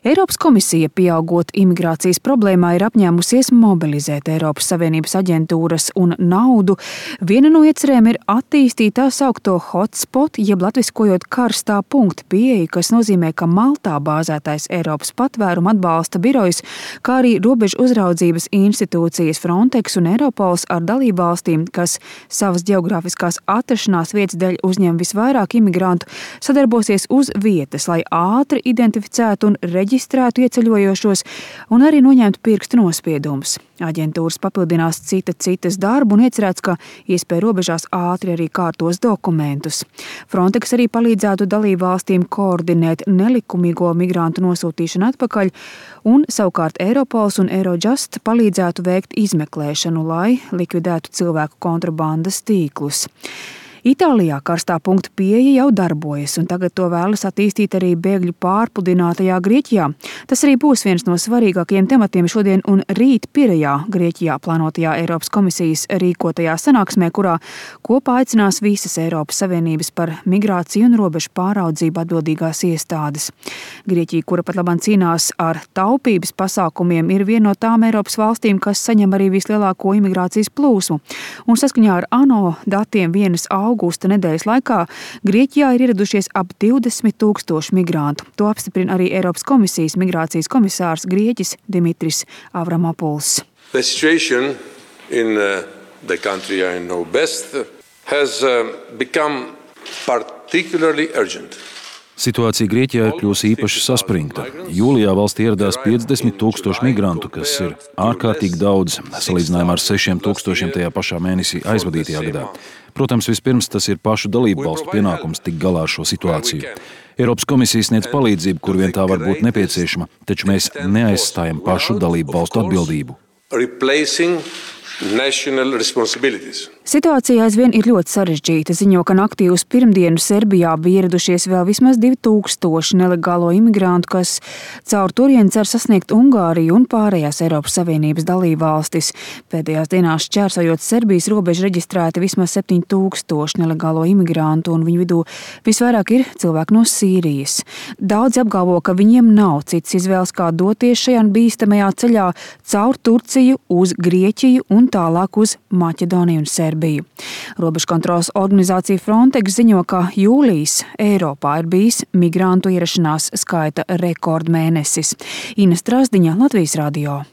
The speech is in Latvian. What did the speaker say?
Eiropas komisija, pieaugot imigrācijas problēmā, ir apņēmusies mobilizēt Eiropas Savienības aģentūras un naudu. Viena no iecerēm ir attīstīt tā saukto hotspot, jeb latviskojot karstā punkta pieeju, kas nozīmē, ka Maltā bāzētais Eiropas patvēruma atbalsta birojs, kā arī robežu uzraudzības institūcijas Frontex un Eiropols ar dalībvalstīm, kas savas geogrāfiskās atrašanās vietas dēļ uzņem visvairāk imigrantu, sadarbosies uz vietas, lai ātri identificētu un reģistrētu ieceļojošos un arī noņemtu pirkstu nospiedumus. Aģentūras papildinās citas darbu un iecerēts, ka iespēja robežās ātri arī kārtos dokumentus. Frontex arī palīdzētu dalībvalstīm koordinēt nelikumīgo migrantu nosūtīšanu atpakaļ, un savukārt Eiropols un Eurojust palīdzētu veikt izmeklēšanu, lai likvidētu cilvēku kontrabandas tīklus. Itālijā karstā punkta pieeja jau darbojas, un tagad to vēlas attīstīt arī bēgļu pārpludinātajā Grieķijā. Tas arī būs viens no svarīgākajiem tematiem šodien un rīt Pirejā, Grieķijā plānotajā Eiropas komisijas rīkotajā sanāksmē, kurā kopā aicinās visas Eiropas Savienības par migrāciju un robežu pāraudzību atbildīgās iestādes. Grieķija, kura pat labāk cīnās ar taupības pasākumiem, ir viena no tām Eiropas valstīm, kas saņem arī vislielāko imigrācijas plūsmu. Un saskaņā ar ANO datiem vienas augusta nedēļas laikā Grieķijā ir ieradušies ap 20,000 migrantu. To apstiprina arī Eiropas komisijas migrācijas komisārs Grieķis Dimitris Avramopuls. The situation in the country I know best has become particularly urgent. Situācija Grieķijā ir kļuvusi īpaši saspringta. Jūlijā valstī ieradās 50,000 migrantu, kas ir ārkārtīgi daudz, salīdzinājumā ar 6,000 tajā pašā mēnesī aizvadītajā gadā. Protams, vispirms tas ir pašu dalību valstu pienākums tikt galā ar šo situāciju. Eiropas komisija sniedz palīdzību, kur vien tā var būt nepieciešama, taču mēs neaizstājam pašu dalību valstu atbildību. Situācija aizvien ir ļoti sarežģīta. Ziņo, ka naktī uz pirmdienu Serbijā bija ieradušies vēl vismaz 2,000 nelegālo imigrantu, kas caur turieni cer sasniegt Ungāriju un pārējās Eiropas Savienības dalībvalstis. Pēdējās dienās šķērsojot Serbijas robežu reģistrēti vismaz 7,000 nelegālo imigrantu, un viņu vidū visvairāk ir cilvēki no Sīrijas. Daudzi apgalvo, ka viņiem nav cits izvēles, kā doties šajā bīstamajā ceļā caur Turciju uz Grieķiju un tālāk uz Maķedoniju un Serbiju. Robežkontroles organizācija Frontex ziņo, ka jūlijs Eiropā ir bijis migrantu ierašanās skaita rekordmēnesis. Ina Strasdiņa, Latvijas radio.